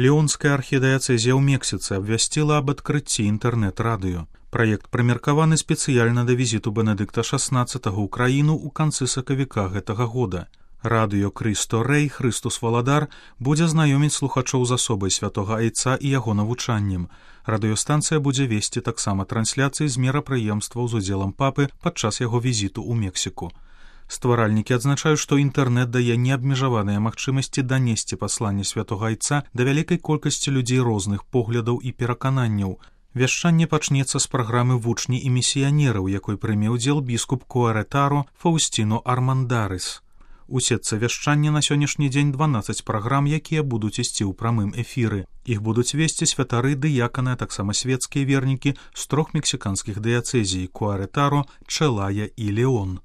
Леонская архідыяцэзія ў Мексіцы абвясціла аб адкрыцці інтэрнэт-радыё. Праект прымеркаваны спецыяльна да візіту Бенедыкта XVI ў краіну ў канцы сакавіка гэтага года. Радыё Крысто Рэй, Хрыстус Валадар, будзе знаёміць слухачоў з асобай святога Айца і яго навучаннем. Радыёстанцыя будзе весці таксама трансляцыі з мерапрыемстваў з удзелам папы падчас яго візіту ў Мексіку. Стваральнікі адзначаюць, што інтэрнэт дае неабмежаваныя магчымасці данесці пасланне святога Айца да вялікай колькасці людзей розных поглядаў і перакананняў. Вяшчанне пачнецца з праграмы «Вучні і місіянеры», у якой прыме ўдзел біскуп Куаретаро Фаусціно Армандарыс. У сетцы вяшчання на сённяшні дзень 12 праграм, якія будуць ісці ў прамым эфіры. Іх будуць весці святары, дыяканы, а таксама свецкія вернікі з 3 мексіканскіх дыяцэзій – Куаретаро, Челая і Леон.